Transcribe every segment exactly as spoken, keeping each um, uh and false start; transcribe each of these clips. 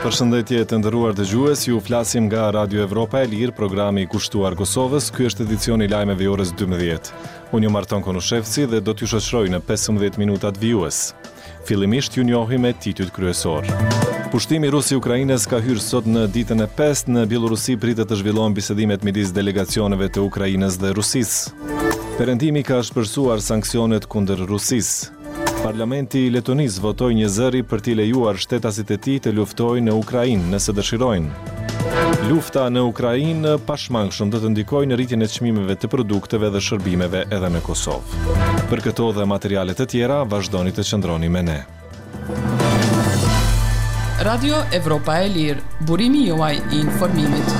Përshëndetje të nderuar dëgjues, ju flasim nga Radio Evropa e Lirë, programi i kushtuar Kosovës. Ky është edicioni i lajmeve i orës dymbëdhjetë. Unë jam Arton Konushevci dhe do t'ju shoqëroj në pesëmbëdhjetë minutat vijues. Fillimisht ju njohim me titujt kryesor. Pushtimi rus i Ukrainës ka hyrë sot në ditën e pestë. Në Bjellorusi pritet të zhvillohen bisedimet midis delegacioneve të Ukrainës dhe Rusisë. Perëndimi ka ashpërsuar sanksionet kundër Rusisë. Parlamenti i Letonisë votoi një zëri për t'i lejuar shtetasit e tij të luftojnë në Ukrainë nëse dëshirojnë. Lufta në Ukrainë pashmangshëm do të ndikojë në rritjen e çmimeve të produkteve dhe shërbimeve edhe në Kosovë. Për këto dhe materiale të tjera, vazhdoni të qëndroni me ne. Radio Evropa e Lirë, burimi juaj i informimit.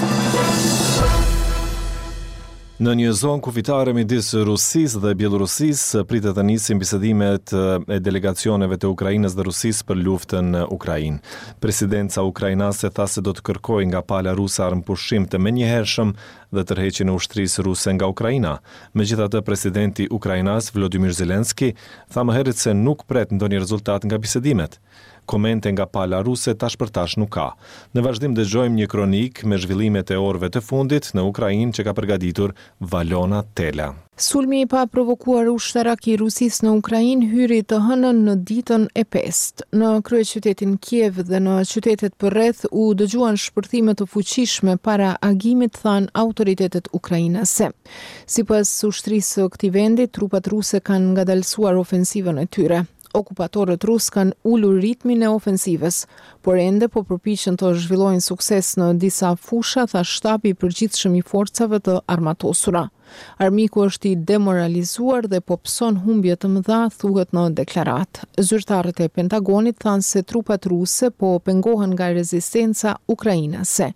Në një zonë kufitare midis Rusisë dhe Bjellorusisë pritet të nisin bisedimet e delegacioneve të Ukrainës dhe Rusisë për luftën në Ukrainë. Presidenca ukrainase tha se do të kërkojë nga pala ruse armëpushim të menjëhershëm dhe tërheqjen e ushtrisë ruse nga Ukraina. Megjithatë, presidenti ukrainas Volodymyr Zelensky tha më herët se nuk pret ndonjë rezultat nga bisedimet. Komente nga pala ruse tash për tash nuk ka. Në vazhdim dëgjojmë një kronikë me zhvillimet e orëve të fundit në Ukrainë që ka përgatitur Valona Tela. Sulmi i paprovokuar ushtarak i Rusisë në Ukrainë hyri të hënën në ditën e pestë. Në kryeqytetin Kiev dhe në qytetet përreth u dëgjuan shpërthime të fuqishme para agimit, thanë autoritetet ukrainase. Sipas ushtrisë së këtij vendi, trupat ruse kanë ngadalësuar ofensivën e tyre. Okupatorët rus kanë ulur ritmin e ofensivës, por ende po përpiqen të zhvillojnë sukses në disa fusha, tha shtabi i përgjithshëm i forcave të armatosura. Armiku është i demoralizuar dhe po pëson humbje të mëdha, thuhet në deklaratë. Zyrtarët e Pentagonit thanë se trupat ruse po pengohen nga rezistenca ukrainase,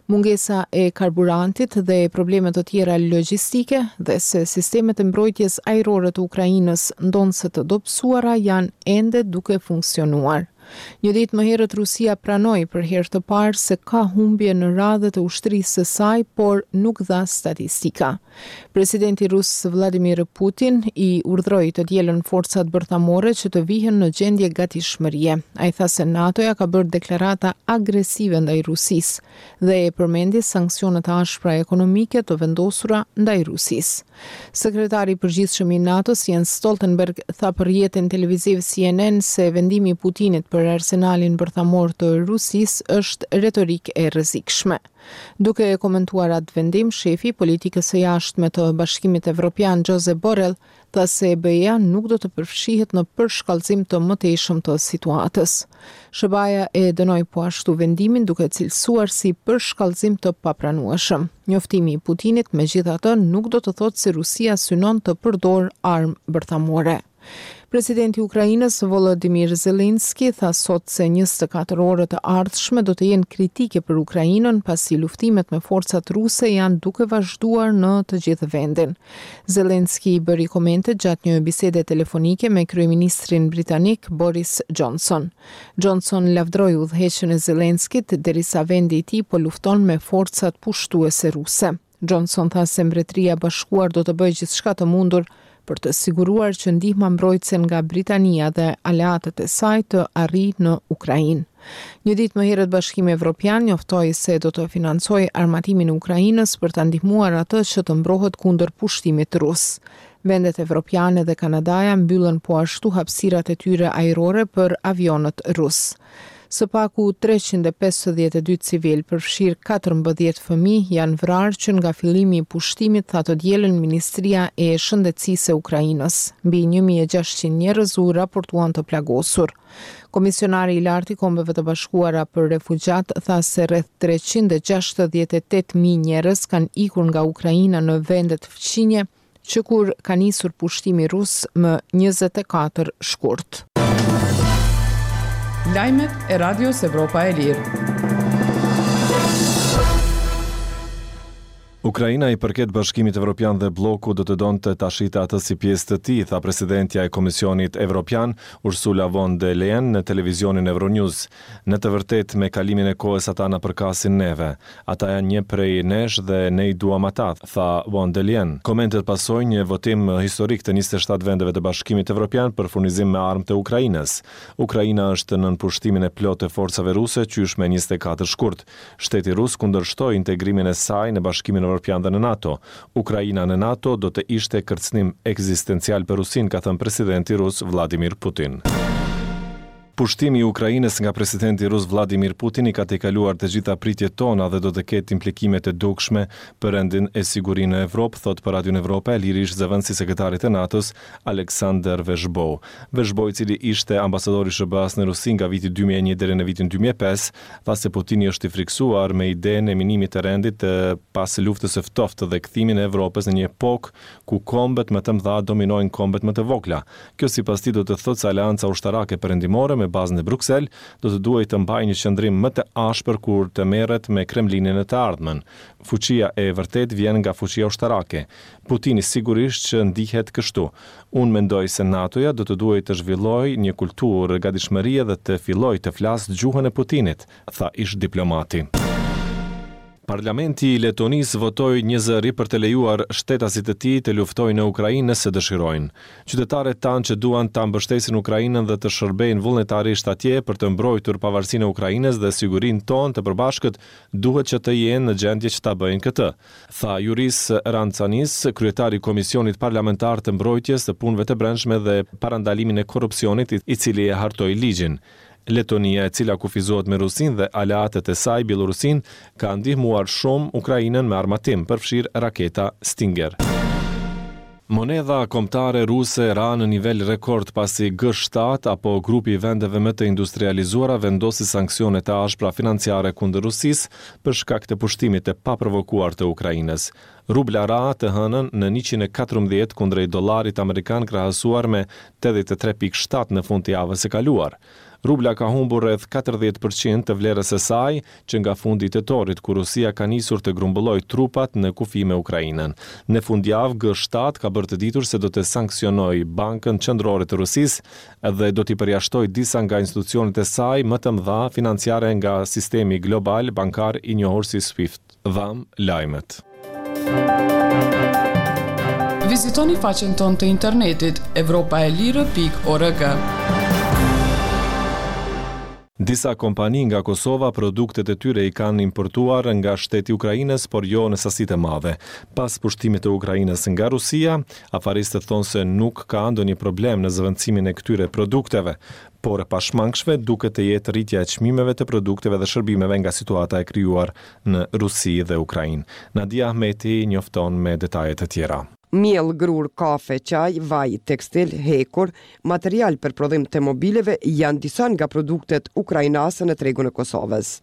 mungesa e karburantit dhe probleme të tjera logjistike dhe se sistemet e mbrojtjes ajrore të Ukrainës, ndonëse të dobësuara, janë ende duke funksionuar. Një ditë më herët Rusia pranoi për herë të parë se ka humbje në radhët e ushtrisë së saj, por nuk dha statistika. Presidenti rus Vladimir Putin i urdhëroi të dielën forcat bërthamore që të vihen në gjendje gatishmërie. Ai tha se NATO-ja ka bërë deklarata agresive ndaj Rusisë dhe e përmendi sanksionet e ashpra ekonomike të vendosura ndaj Rusisë. Sekretari i përgjithshëm i NATO-s Jens Stoltenberg tha për rrjetin televiziv C N N se vendimi i Putinit për arsenalin bërthamor të Rusisë është retorikë e rrezikshme. Duke komentuar atë vendim, shefi i politikës së jashtme të Bashkimit Evropian Josep Borrell tha se B E-ja nuk do të përfshihet në përshkallëzim të mëtejshëm të situatës. S H B A-ja e dënoi po ashtu vendimin duke cilësuar si përshkallëzim të papranueshëm. Njoftimi i Putinit, megjithatë, nuk do të thotë se Rusia synon të përdorë armë bërthamore. Presidenti i Ukrainës Volodymyr Zelensky tha sot se njëzet e katër orët e ardhshme do të jenë kritike për Ukrainën, pasi luftimet me forcat ruse janë duke vazhduar në të gjithë vendin. Zelensky bëri komente gjatë një bisede telefonike me kryeministrin britanik Boris Johnson. Johnson lavdroi udhëheqjen e Zelenskit derisa vendi i tij po lufton me forcat pushtuese ruse. Johnson tha se Mbretëria e Bashkuar do të bëjë gjithçka të mundur për të siguruar që ndihma mbrojtëse nga Britania dhe aleatët e saj të arrijë në Ukrainë. Një ditë më herët Bashkimi Evropian njoftoi se do të financojë armatimin e Ukrainës për ta ndihmuar atë që të mbrohet kundër pushtimit rus. Vendet evropiane dhe Kanadaja mbyllën po ashtu hapësirat e tyre ajrore për avionët rus. Së paku treqind e pesëdhjetë e dy civil, përfshirë katërmbëdhjetë fëmijë, janë vrarë që nga fillimi i pushtimit, tha të dielën Ministria e Shëndetësisë e Ukrainës. Mbi një mijë e gjashtëqind njerëz u raportuan të plagosur. Komisionari i Lartë i Kombeve të Bashkuara për Refugjat tha se rreth treqind e gjashtëdhjetë e tetë mijë njerëz kanë ikur nga Ukraina në vendet fqinje që kur ka nisur pushtimi rus më njëzet e katër shkurt. Lajmet e Radios Evropa e Lirë. Ukraina i përket Bashkimit Evropian dhe bloku do të donte ta shihte atë si pjesë të tij, tha presidentja e Komisionit Evropian, Ursula von der Leyen në televizionin Euronews. Në të vërtetë, me kalimin e kohës ata na përkasin neve. Ata janë një prej nesh dhe ne i duam ata, tha von der Leyen. Komentet pasojnë një votim historik të njëzet e shtatë vendeve të Bashkimit Evropian për furnizim me armë të Ukrainës. Ukraina është nën pushtimin e plotë të forcave ruse qysh me njëzet e katër shkurt. Shteti rus kundërshtoi integrimin e saj në Bashkimin Evropian dhe në NATO. Ukraina në NATO do të ishte kërcënim ekzistencial për Rusinë, ka thënë presidenti rus Vladimir Putin. Pushtimi i Ukrainës nga presidenti rus Vladimir Putin i ka tejkaluar të gjitha pritjet tona dhe do të ketë implikime të dukshme për rendin e sigurinë në Evropë, thotë për Radion Evropa e Lirë ish zëvendësi sekretarit të NATO-s Alexander Vershbow. Vershbow, i cili ishte ambasador i S H B A-s në Rusi nga viti dy mijë e një deri në vitin dy mijë e pesë, tha se Putini është i frikësuar me idenë e minimit të rendit të pas luftës së ftohtë dhe kthimin e Evropës në një epokë ku kombet më të mëdha dominojnë kombet më të vogla. Kjo sipas tij do të thotë se aleanca ushtarake perëndimore me bazën në Bruksel do të duhej të mbajë një qëndrim më të ashpër kur të merret me Kremlinin në të ardhmen. Fuqia e vërtetë vjen nga fuqia ushtarake. Putini sigurisht që ndihet kështu. Unë mendoj se NATO-ja do të duhej të zhvillojë një kulturë gatishmërie dhe të fillojë të flasë gjuhën e Putinit, tha ish diplomati. Parlamenti i Letonisë votoi një zëri për të lejuar shtetasit e tij të luftojnë në Ukrainë nëse dëshirojnë. Qytetarët tanë që duan ta mbështesin Ukrainën dhe të shërbejnë vullnetarisht atje për të mbrojtur pavarësinë e Ukrainës dhe sigurinë tonë të përbashkët, duhet që të jenë në gjendje që ta bëjnë këtë, tha Juris Rancanis, kryetari i Komisionit Parlamentar të Mbrojtjes të Punëve të Brendshme dhe Parandalimin e Korrupsionit, i cili e hartoi ligjin. Letonia, e cila kufizohet me Rusinë dhe aleatët e saj, Bielorusinë, ka ndihmuar shumë Ukrainën me armatim, përfshirë raketa Stinger. Monedha kombëtare ruse ra në nivel rekord pasi G shtatë apo grupi i vendeve më të industrializuara vendosi sanksione të ashpra financiare kundër Rusisë për shkak të pushtimit të paprovokuar të Ukrainës. Rubla ra të hënën në njëqind e katërmbëdhjetë kundrejt dollarit amerikan krahasuar me tetëdhjetë e tre pikë shtatë në fund të javës së kaluar. Rubla ka humbur rreth katërdhjetë përqind të vlerës së saj që nga fundi i tetorit, kur Rusia ka nisur të grumbullojë trupat në kufi me Ukrainën. Në fundjavë, G shtatë ka bërë të ditur se do të sanksionojë Bankën Qendrore të Rusisë dhe do t'i përjashtojë disa nga institucionet e saj më të mëdha financiare nga sistemi global bankar i njohur si SWIFT. Dham lajmet. Vizitoni faqen tonë të internetit evropa e lirë pikë org. Disa kompani nga Kosova produktet e tyre i kanë importuar nga shteti i Ukrainës, por jo në sasi të madhe. Pas pushtimit të Ukrainës nga Rusia, afaristët thonë se nuk ka ndonjë problem në zëvendësimin e këtyre produkteve, por e pashmangshme duket të jetë rritja e çmimeve të produkteve dhe shërbimeve nga situata e krijuar në Rusi dhe Ukrainë. Nadia Ahmeti njofton me detaje të tjera. Miell, grur, kafe, çaj, vaj, tekstil, hekur, material për prodhim të mobileve janë disa nga produktet ukrainase në tregun e Kosovës.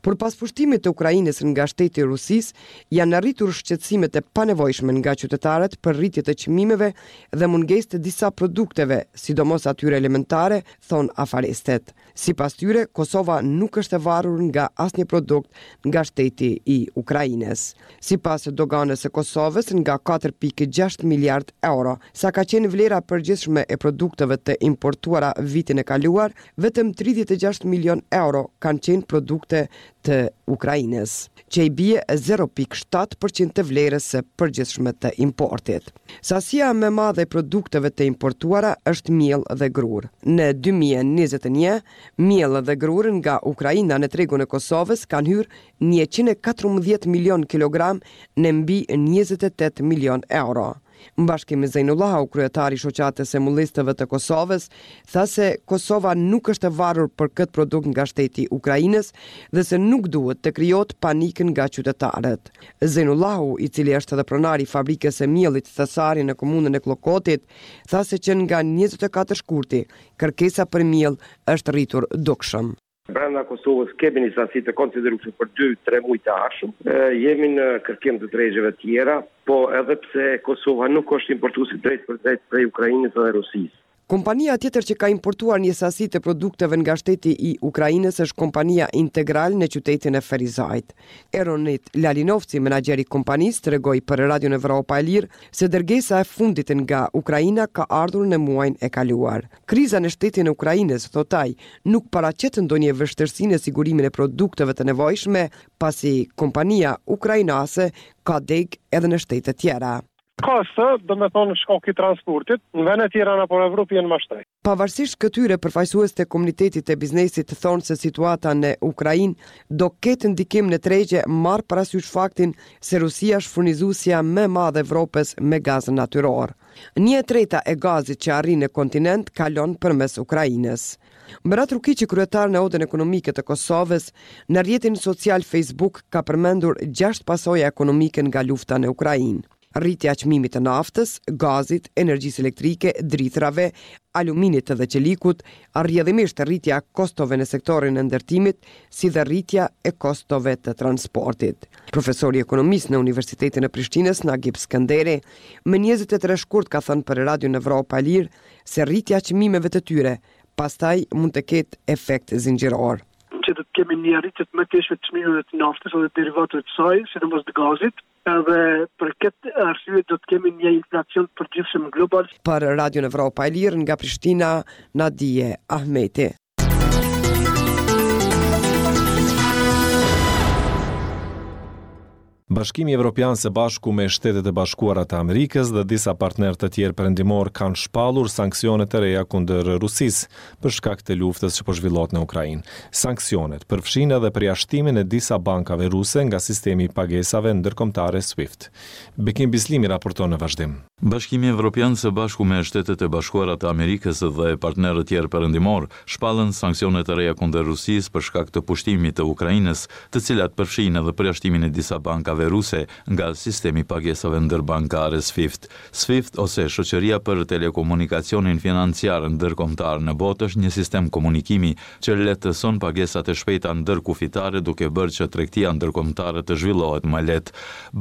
Por pas pushtimit të Ukrainës nga shteti i Rusisë, janë rritur shqetësimet e panevojshme nga qytetarët për rritje të çmimeve dhe mungesë të disa produkteve, sidomos atyre elementare, thonë afaristet. Sipas tyre, Kosova nuk është e varur nga asnjë produkt nga shteti i Ukrainës. Sipas doganës së Kosovës, nga katër pikë gjashtë miliard euro, sa ka qenë vlera e përgjithshme e produkteve të importuara vitin e kaluar, vetëm tridhjetë e gjashtë milion euro kanë qenë produkte të Ukrainës, që i bie zero pikë shtatë përqind të vlerës së përgjithshme të importit. Sasia më e madhe e produkteve të importuara është miell dhe grur. Në dy mijë e njëzet e një, miell dhe grur nga Ukraina në tregun e Kosovës kanë hyrë njëqind e katërmbëdhjetë milion kilogram në mbi njëzet e tetë milion euro. Bashkim Zejnullahu, kryetari i shoqatës së mullistëve të Kosovës, tha se Kosova nuk është e varur për këtë produkt nga shteti i Ukrainës dhe se nuk duhet të krijohet panik nga qytetarët. Zejnullahu, i cili është edhe pronari i fabrikës së miellit Thesari në komunën e Kllokotit, tha se që nga njëzet e katër shkurti kërkesa për miell është rritur dukshëm. Brenda Kosovës kemi një sasi të konsiderueshme për dy tre muaj të ardhshëm. E, jemi në kërkim të tregjeve tjera, po edhe pse Kosova nuk është importuesi drejt për drejt prej Ukrainës dhe Rusisë. Kompania tjetër që ka importuar një sasi të produkteve nga shteti i Ukrainës është kompania Integral në qytetin e Ferizajt. Eronit Lalinovci, menaxheri i kompanisë, tregoi për Radion Evropa e Lirë se dërgesa e fundit nga Ukraina ka ardhur në muajin e kaluar. Kriza në shtetin e Ukrainës, thot ai, nuk paraqet ndonjë vështirësi në sigurimin e produkteve të nevojshme, pasi kompania ukrainase ka degë edhe në shtete tjera. Kosto, do me thonë shkak i transportit, në vende tjera nëpër Evropë janë më shtrenjtë. Pavarësisht këtyre, përfaqësues të komunitetit të biznesit thonë se situata në Ukrainë do ketë ndikim në tregje, marrë parasysh faktin se Rusia është furnizuesja më e madhe e Evropës me gaz natyror. Një e treta e gazit që arrin në kontinent kalon përmes Ukrainës. Berat Rukiqi, kryetar në Odën Ekonomike të Kosovës, në rrjetin social Facebook ka përmendur gjashtë pasoja ekonomike nga lufta në Ukrainë. Rritja e çmimit të naftës, gazit, energjisë elektrike, drithrave, aluminit dhe çelikut, rrjedhimisht rritja e kostove në sektorin e ndërtimit, si dhe rritja e kostove të transportit. Profesori i ekonomisë në Universitetin e Prishtinës, Nagip Skënderi, më njëzet e tre shkurt ka thënë për Radion Evropa e Lirë se rritja e çmimeve të tyre pastaj mund të ketë efekt zinxhiror. Që do të kemi një rritje të mëtejshme të çmimeve të naftës dhe derivateve të saj, sidomos të gazit, edhe për këtë arsye do të kemi një inflacion të përgjithshëm global. Për Radion Evropa e Lirë nga Prishtina, Nadie Ahmeti. Bashkimi Evropian së bashku me Shtetet e Bashkuara të Amerikës dhe disa partnerë të tjerë perëndimor kanë shpallur sanksione të reja kundër Rusisë për shkak të luftës që po zhvillohet në Ukrainë. Sanksionet përfshijnë edhe përjashtimin e disa bankave ruse nga sistemi i pagesave ndërkombëtare SWIFT. Bekim Bislimi raporton në vazhdim. Bashkimi Evropian së bashku me Shtetet e Bashkuara të Amerikës dhe partnerët tjerë perëndimor shpallën sanksione të reja kundër Rusisë për shkak të pushtimit të Ukrainës, të cilat përfshijnë edhe përjashtimin e disa bankave ruse nga sistemi i pagesave ndërbankare SWIFT. SWIFT ose Shoqëria për Telekomunikacionin Financiar Ndërkombëtar në botë është një sistem komunikimi që lehtëson pagesat e shpejta ndërkufitare duke bërë që tregtia ndërkombëtare të zhvillohet më lehtë.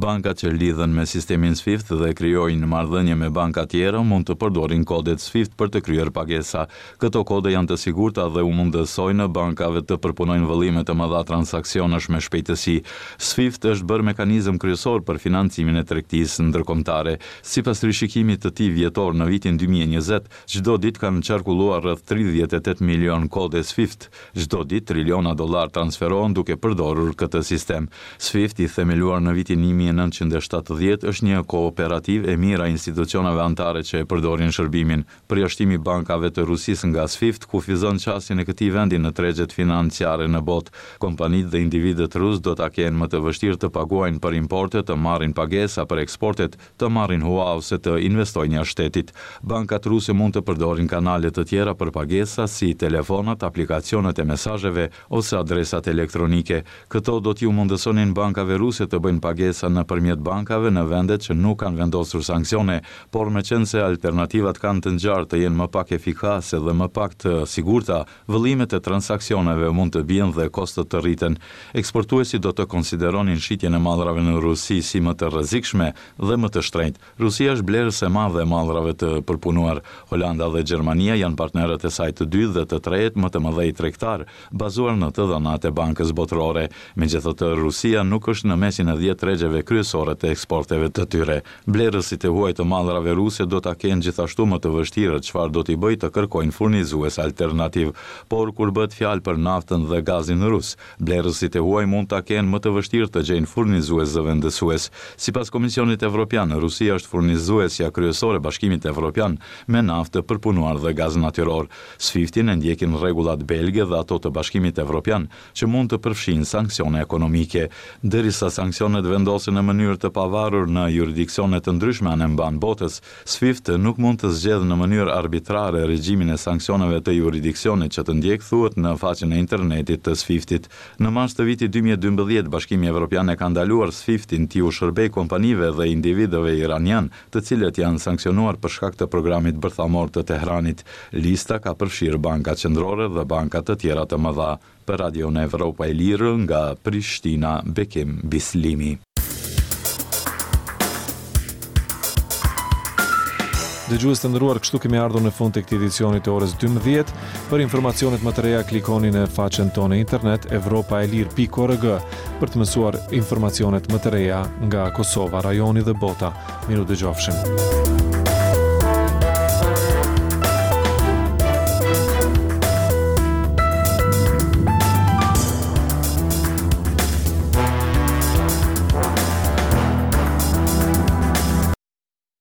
Bankat që lidhen me sistemin SWIFT dhe krijojnë marrëdhënie me banka tjera mund të përdorin kodet SWIFT për të kryer pagesa. Këto kode janë të sigurta dhe u mundësojnë bankave të përpunojnë vëllime të mëdha transaksionesh me shpejtësi. SWIFT është bërë mekanizëm kryesor për financimin e tregtisë ndërkombëtare. Sipas rishikimit të tij vjetor në vitin dy mijë e njëzet, çdo ditë kanë qarkulluar rreth tridhjetë e tetë milion kode SWIFT. Çdo ditë triliona dollar transferohen duke përdorur këtë sistem. SWIFT, i themeluar në vitin një mijë e nëntëqind e shtatëdhjetë, është një kooperativë e mira institucioneve anëtare që e përdorin shërbimin. Përjashtimi i bankave të Rusisë nga SWIFT kufizon qasjen e këtij vendi në tregjet financiare në botë. Kompanitë dhe individët rus do ta kenë më të vështirë të paguajnë për importe, të marrin pagesa për eksportet, të marrin hua ose të investojnë jashtë shtetit. Bankat ruse mund të përdorin kanale të tjera për pagesa si telefonat, aplikacionet e mesazheve ose adresat elektronike. Këto do t'ju mundësonin bankave ruse të bëjnë pagesa nëpërmjet bankave në vendet që nuk kanë vendosur sanksione, por meqenëse alternativat kanë të ngjarë të jenë më pak efikase dhe më pak të sigurta, vëllimet e transaksioneve mund të bien dhe kostot të rriten. Eksportuesit do të konsideronin shitjen e mallrave në Rusi si më të rrezikshme dhe më të shtrenjtë. Rusia është blerëse e madhe e mallrave të përpunuar. Holanda dhe Gjermania janë partnerët e saj të dytë dhe të tretë më të mëdhenj tregtar, bazuar në të dhënat e Bankës Botërore. Megjithatë, Rusia nuk është në mesin e dhjetë tregjeve kryesore të eksporteve të tyre. Blerësit e huaj të mallrave ruse do ta kenë gjithashtu më të vështirë çfarë do t'i bëjë të kërkojnë furnizues alternativ. Por kur bëhet fjalë për naftën dhe gazin rus, blerësit e huaj mund ta kenë më të vështirë të gjejnë furnizues zëvendësues. Sipas Komisionit Evropian, Rusia është furnizuesja kryesore e Bashkimit Evropian me naftë të përpunuar dhe gaz natyror. SWIFT-in e ndjekin rregullat belge dhe ato të Bashkimit Evropian, që mund të përfshijnë sanksione ekonomike. Derisa sanksionet vendosen në mënyrë të pavarur në juridiksione të ndryshme anembanë botës, SWIFT nuk mund të zgjedhë në mënyrë arbitrare regjimin e sanksioneve të juridiksionit që të ndjek, thuhet në faqen e internetit të SWIFT-it. Në mars të vitit dy mijë e dymbëdhjetë, Bashkimi Evropian e ka ndaluar SWIFT-in t'iu shërbej kompanive dhe individëve iranian, të cilët janë sanksionuar për shkak të programit bërthamor të Tehranit. Lista ka përfshirë banka qendrore dhe banka të tjera të mëdha. Për Radion Evropa e Lirë nga Prishtina, Bekim Bislimi. Dëgjues të nderuar, kështu kemi ardhur në fund të këtij edicioni të orës dymbëdhjetë. Për informacionet më të reja klikoni në faqen tonë internet evropaelire pikë org për të mësuar informacionet më të reja nga Kosova, rajoni dhe bota. Mirë u dëgjofshim.